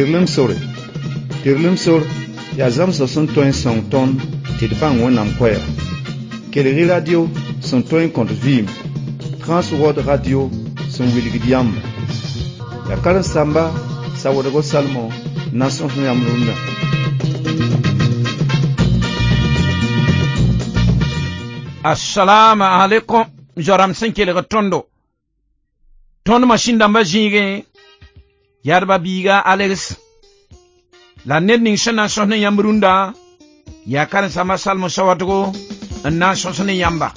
Tɩrlem sore. Tɩrlem sor yaa zãmsg sẽn tõe n sõng tõnd tɩ d bãng Wẽnnaam koɛɛga. Kelg-y radio sẽn tõe n kõt vɩɩm, Transworld Radio sẽn wilgd yãmba. Yaa karen-saamba Sawoodgo Salmo n na n sõs yãmb rũndã. Assalamu alaikum zoram sẽn kelg tõndo. Tõnd masĩn dãmbã zĩigẽ yadba biiga Alex la ned ning sẽn na n sõs ne yãmb rũndã yaa karen-saamba Salmo Sawadogo n na n sõs ne yãmba.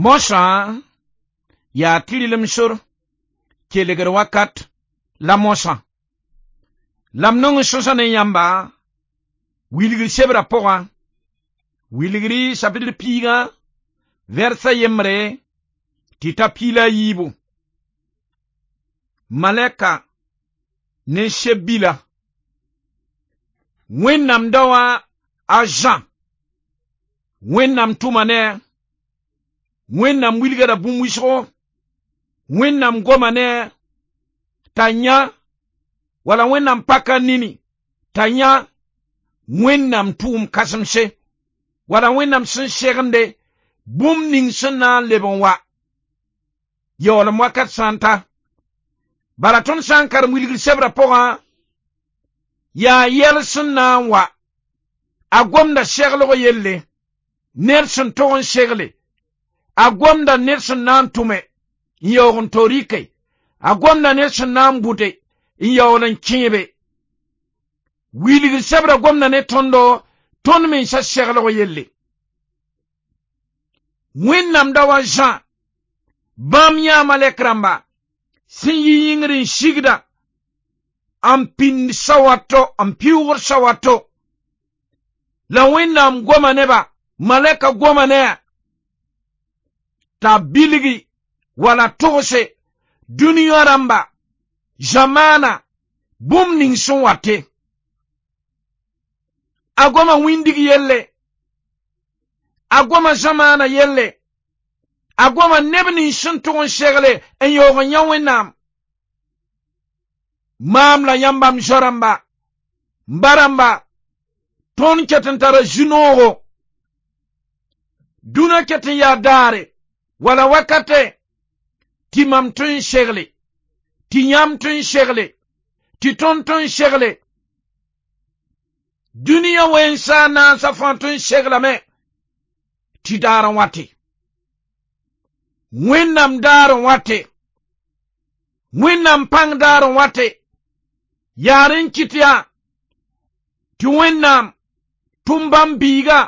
Mosã yaa tɩrlem sor kelgr wakat la mosã la m nong n sõsa ne yãmba wilgr sebrã pʋgã wilgri sapitr piigã vɛrsa yembre tɩ ta piila a yiibu malɛka ne seb-bila Wẽnnaam daoã a Zã Wẽnnaam tʋma ne a Wẽnnaam wilgda bũmb wʋsgo Wẽnnaam goma ne t'a yã wala Wẽnnaam paka nini t'a yã Wẽnnaam tʋʋm kãsemse wala Wẽnnaam sẽn segende bũmb ning sẽn na n leb n wa yaoolem wakat sã n ta bala tõnd sã n karem wilgr sebrã pʋgã yaa yɛl sẽn na n wa a gomda seglg yelle ned sẽn tog n segle a gomda ned sẽn na n tʋme n yaoog n to rɩke a gomda ned sẽn na n bʋte n yaool n kẽebe wilgr sebrã gomda ne tõndo tõnd mensã seglg yelle Wẽnnaam da wa Zã bãmb yãa malɛk rãmba sẽn yi yĩngr n sigda n pĩnd sawato n pɩʋʋgd sawato la Wẽnnaam goma neba malɛka goma ne a t'a bilgi wala togse dũniyã rãmba zamaana bũmb ning sẽn wate a goma wĩndig yelle a goma zamaana yelle a goma neb nins sẽn tʋg n segle n yaoog n yã Wẽnnaam maam la yãmba m zoa-rãmba m ba-rãmba tõnd ket n tara zu-noogo dũnã ket n yaa daare wala wakate tɩ mam tõe n segle tɩ yãmb tõe n segle tɩ tõnd tõe n segle dũniyã wẽnsa naasã fãa tõe n seglame tɩ daar n wate Wẽnnaam daar n wate Wẽnnaam pãng daar n wate yaa rẽ n kɩt yaa tɩ Wẽnnaam tʋm bãmb biiga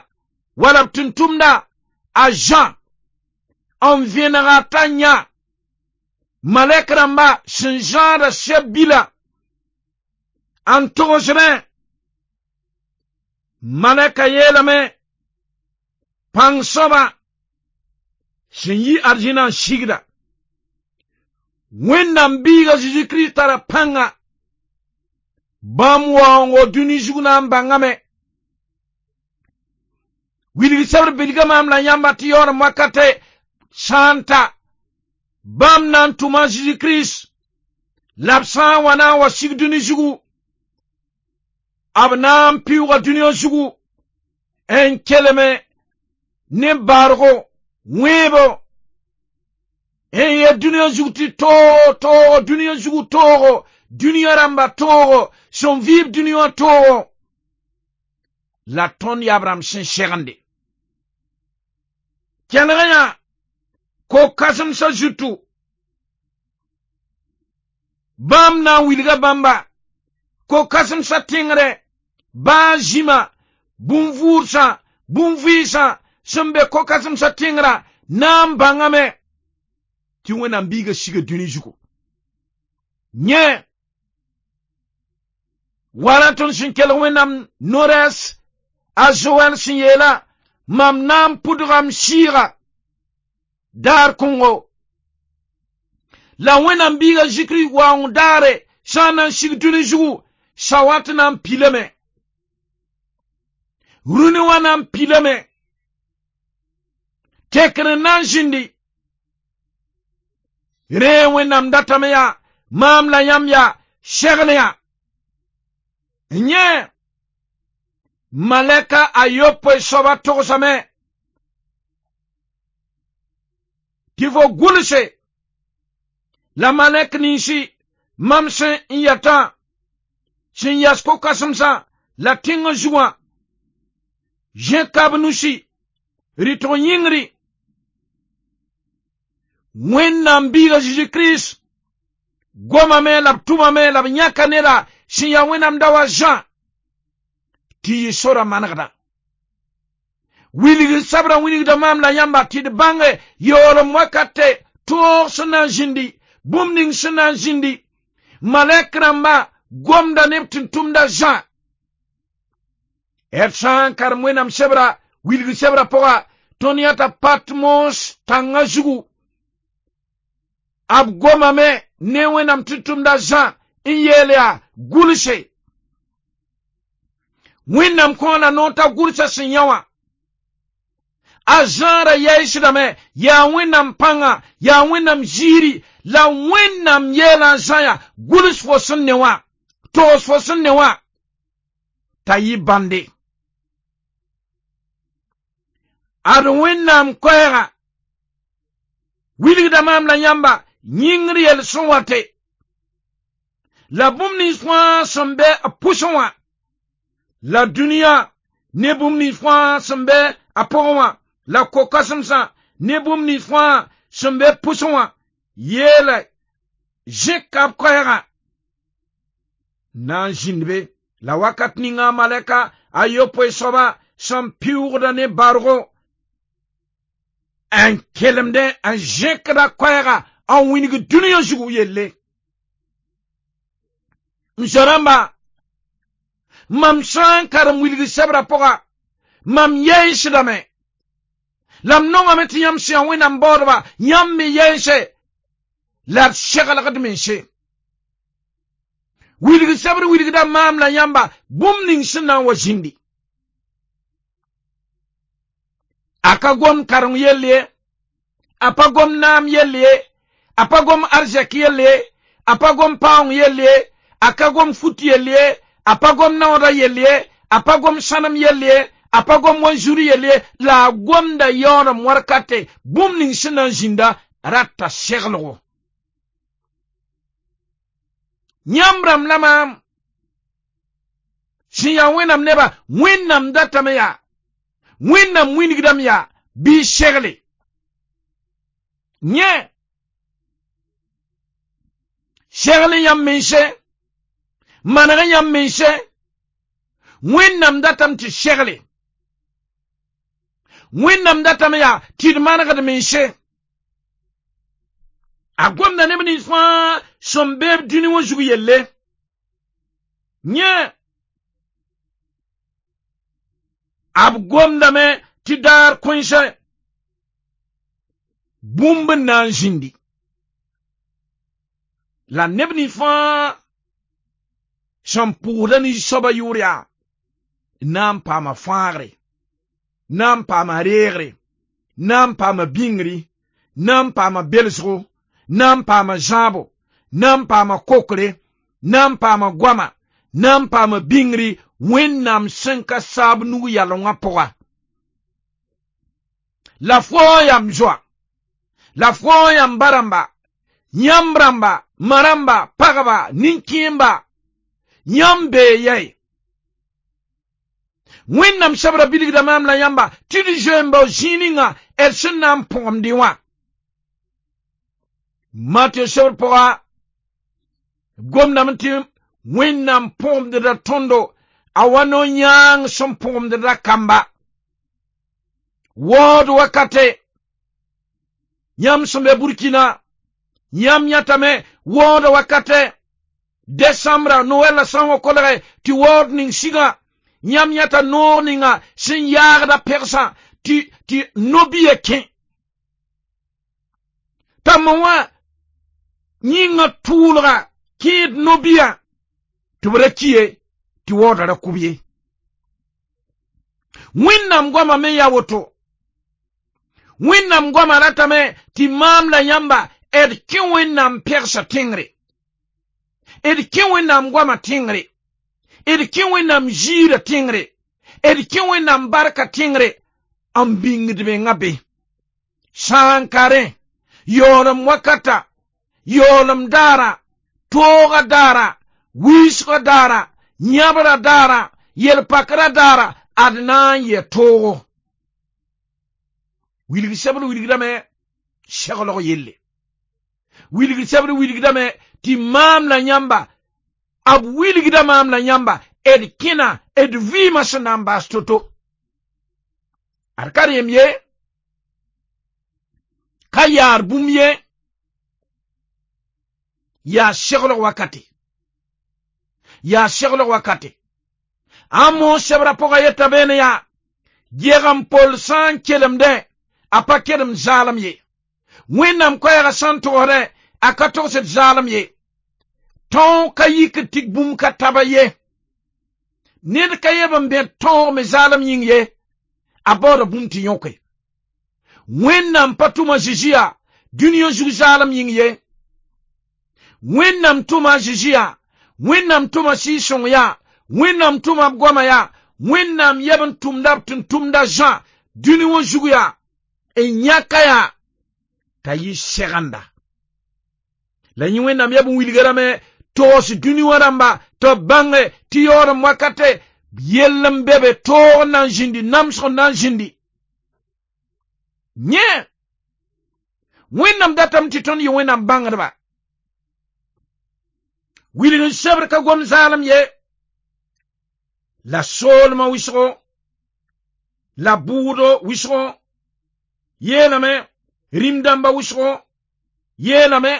wala b tʋm-tʋmda a Zã n vẽnega t'a yã malɛk rãmba sẽn zãada seb-bila n togsdẽ malɛka yeelame pãng soaba sẽn yi arzẽna n sigda Wẽnnaam biiga Zeezi Kirist tara pãnga bãmb waoongo dũni zug na n bãngame wilg sebr bilga maam la yãmba tɩ yaoolem wakate sã n ta bãmb na n tʋma Zeezi Kirist la b sã n wa na n wa sig dũni zugu b na n pɩʋʋga dũniyã zugu n kelme ne bargo wẽebo n yet dũniyã zug tɩ toogo toogo dũniyã zugu toogo dũniyã rãmba toogo sẽn vɩɩb dũniyã toogo la tõnd yaab rãmb sẽn segende kelg yã ko-kãsemsã zutu bãmb na n wilga bãmba ko-kãsemsã tẽngre baa zĩma bũn-vʋʋdsã bũn-vɩɩsã sẽn be ko-kãsemsã tẽngrã na n bãngame tɩ Wẽnnaam biiga siga dũni zugu yẽ wala tõnd sẽn kelg Wẽnnaam no-rɛɛs a Zoɛl sẽn yeela Mam na n pʋdga m sɩɩga daar kõngo la Wẽnnaam biiga Zikri waoong daare sã n na n sig dũni zugu sawat na n pilame rũni wã na n pilame tekr n na n zĩndi rẽ Wẽnnaam datame yaa maam la yãmb yaa segl yã yẽ malɛka a yopoe soaba togsame tɩ fo gʋlse la malɛk ninsi mam sẽn n yɛtã sẽn yas ko-kãsemsã la tẽngã zugã zẽ kab nusi rɩtg yĩngri Wẽnnaam biiga Zeezi Kirist gomame la b tʋmame la b yãka neda sẽn yaa Wẽnnaam daoa Zã tɩ yɩ sora manegda wilg sabrã wilgda maam la yãmba tɩ d bãnge yaoolem wakate tõog sẽn na n zĩndi bũmb ning sẽn na n zĩndi malɛk rãmba gomda neb tɩ n tʋmda Zã d sã n karem Wẽnnaam sebra wilg sebra pʋga tõnd yãta Patmos tãngã zugu b gomame ne Wẽnnaam tɩ tʋmda Zã n yeel yaa gʋlse Wẽnnaam kõ la noor t'a gʋlsa sẽn yã wã a Zã ra yaɩsdame yaa Wẽnnaam pãnga yaa Wẽnnaam ziiri la Wẽnnaam yeela a Zã yaa gʋls fo sẽn ne wã togs fo sẽn ne wã t'a yɩ bãnde ad Wẽnnaam koɛɛga wilgda maam la yãmba yĩngr yel sẽn wate la bũmb nins fãa sẽn be b pʋsẽ wã la dũniyã ne bũmb nins fãa sẽn be a pʋgẽ wã la ko-kãsemsã ne bũmb nins fãa sẽn be pʋsẽ wã yeela zẽ-kab koɛɛgã na n zĩnd be la wakat ninga malɛka a yopoe soaba sẽn pɩʋʋgda ne bargo n kelemdẽ n zẽkda koɛɛga n wĩng dũniyã zugu yelle m zoa-rãmba mam sã n karem wilg sebra pʋga mam yɛɛsdame la m nongame tɩ yãmb sẽn yaa Wẽnnaam baoodba yãmb me yɛɛse la d seglgd mense wilg sebr wilgda maam la yãmba bũmb ning sẽn na n wa zĩndi a ka gom kareng yell ye a pa gom naam yell ye a pa gom arzɛk yell ye a pa gom paoong yell ye a ka gom fut yell ye a pa gom naooda yell ye a pa gom sãnem yell ye a pa gom wanzuri yell ye la a gomda yaoolem warkate bũmb ning sẽn na n zĩnda rata seglgo yãmb rãmb la maam sẽn yaa Wẽnnaam neba Wẽnnaam datame yaa Wẽnnaam wĩnigdame yaa bɩ segle yẽ segl yãmb mense maneg yãmb mense Wẽnnaam datame tɩ segle Wẽnnaam datame yaa tɩ d manegd mense a gomda neb nins fãa sẽn beeb dũni wã zug yelle yẽ b gomdame tɩ daar kõensẽ bũmb n na n zĩndi la neb nins fãa sẽn pʋʋsda ne soabã yʋʋr yaa na n paama fãagre na n paama reegre na n paama bĩngri na n paama belsgo na n paama zãabo na n paama kokre na n paama goama na n paama bĩngri Wẽnnaam sẽn ka saab nug yalengã pʋga la fo yam zoa la fo yam ba-rãmba yãmb rãmba ma rãmba pagba nin-kẽemba yãmb bee yɛi Wẽnnaam sebra bilgda maam la yãmba tɩ d zoe-n-bao zĩig ninga d sẽn na n põgemdẽ wã Matɩ sebr pʋga gomdame tɩ Wẽnnaam põgemdda tõndo a wa no-yãang sẽn põgemdda kamba waood wakate yãmb sẽn be Burkina yãmb yãtame waooda wakate desambra Noɛl la sã n wa kolge tɩ waood ning sigã yãmb yãta noog ninga sẽn yaagda pegsã Tɩ no-biya kẽ t'a ma wã yĩngã tʋʋlga kẽed no-biya tɩ b ra ki ye tɩ waoodã ra kʋb ye. Wẽnnaam goama me yaa woto. Wẽnnaam goama ratame tɩ maam la yãmba d kẽ Wẽnnaam pɛgsa tẽngre, d kẽ Wẽnnaam goama tẽngre, d kẽ Wẽnnaam ziirã tẽngre, d kẽ Wẽnnaam barka tẽngre n bĩngd mengã be. Sã n ka rẽ yaoolem wakata, yaoolem daara, toogã daara, wiisgã daara, yãbrã daara, yel-pakrã daara, ad na n yɛ toogo. Wilg sebr wilgdame seglg yelle. Wilg sebr wilgdame tɩ maam la yãmba, b wilgda maam la yãmba d kẽna d vɩɩmã sẽn na n baas to-to. Ad ka rẽem ye, ka yaar bũmb ye, yaa seglg wakate. Yaa seglg wakate. A moos sebrã pʋgã yeta beene yaa, geg-n-pol sã n kelemdẽ, a pa kelem zaalem ye. Wẽnnaam koɛɛgã sã n togsdẽ, a ka togsd zaalem ye. Tõog ka yikd tɩ bũmb ka taba ye. Ned ka yeb n bẽd tõog me zaalem yĩng ye, a baooda bũmb tɩ yõke. Wẽnnaam pa tʋma Zeezi yaa dũniyã zug zaalem yĩng ye. Wẽnnaam tʋma a Zeezi yaa, Wẽnnaam tʋma Sɩɩg-sõng yaa, Wẽnnaam tʋma b goama yaa, Wẽnnaam yeb n tʋmda b tʋm-tʋmda Zã dũni wã zug yaa, n yãka yaa t'a yɩ segenda. La yẽ Wẽnnaam yeb n wilga rame togs dũni wã rãmba tɩ b bãnge tɩ yaoolem wakate yell n be be toog n na n zĩndi, namsg n na n zĩndi. Yẽ Wẽnnaam datame tɩ tõnd yɩ Wẽnnaam bãngdba. Wilg n sebr ka gom zaalem ye, la soolmã wɩsgo, la bʋʋdo wɩsgo, yeelame rĩm-dãmba wɩsgo, yeelame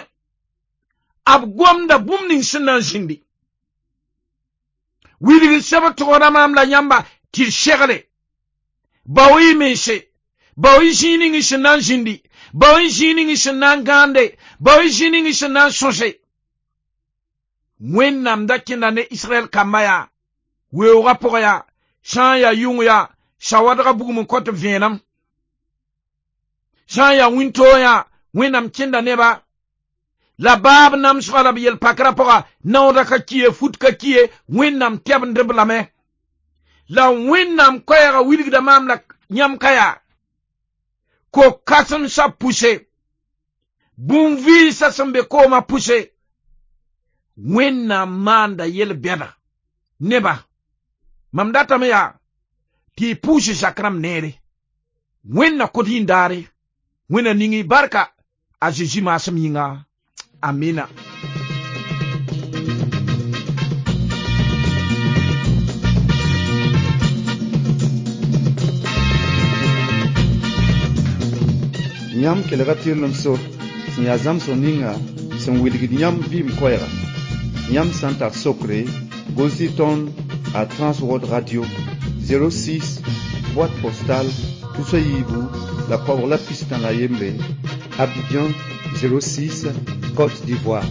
b gomda bũmb ning sẽn na n zĩndi. Wilg n sebr togsda maam la yãmba tɩ d segle, bao-y mense, bao-y zĩig ning sẽn na n zĩndi, bao-y zĩig ning sẽn na n gãande, bao-y zĩig ning sẽn na n sõse. Wẽnnaam da kẽnda ne Israɛl kamba yaa, weoogã pʋgã yaa, sã n yaa yʋng yaa, sawadgã bugum n kõt b vẽenem. Sã n yaa wĩntoog yaa, Wẽnnaam kẽnda neba. La baab namsgã la b yel-pakrã pʋga, naoodã ka ki ye, fut ka ki ye, Wẽnnaam tɛbend-b lame. La Wẽnnaam koɛɛgã wilgda maam la yãmb ka yaa, ko-kãsemsã pʋse, bũn-vɩɩsã sẽn be koomã pʋse, Wẽnnaam maanda yel-bɛda neba. Mam datame yaa tɩ y pʋʋs zak rãmb neere. Wẽnna kõt yĩndaare, Wẽnna ning y barka a Zezi maasem yĩnga. Amina. Yãmb kelga tɩrlem sor sẽn yaa zãmsg ninga sẽn wilgd yãmb vɩɩm koɛɛga. Yãmb sã n tar sokre, gʋls-y tõnd a Transworld Radio 06 boîte postale tusa yiibu la koabg la pistã la yembre, Abidjan 06, Côte d'Ivoire.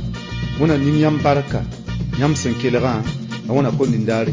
Wẽnna ning yãmb barka, yãmb sẽn kelgã, la wẽna kom nindaare.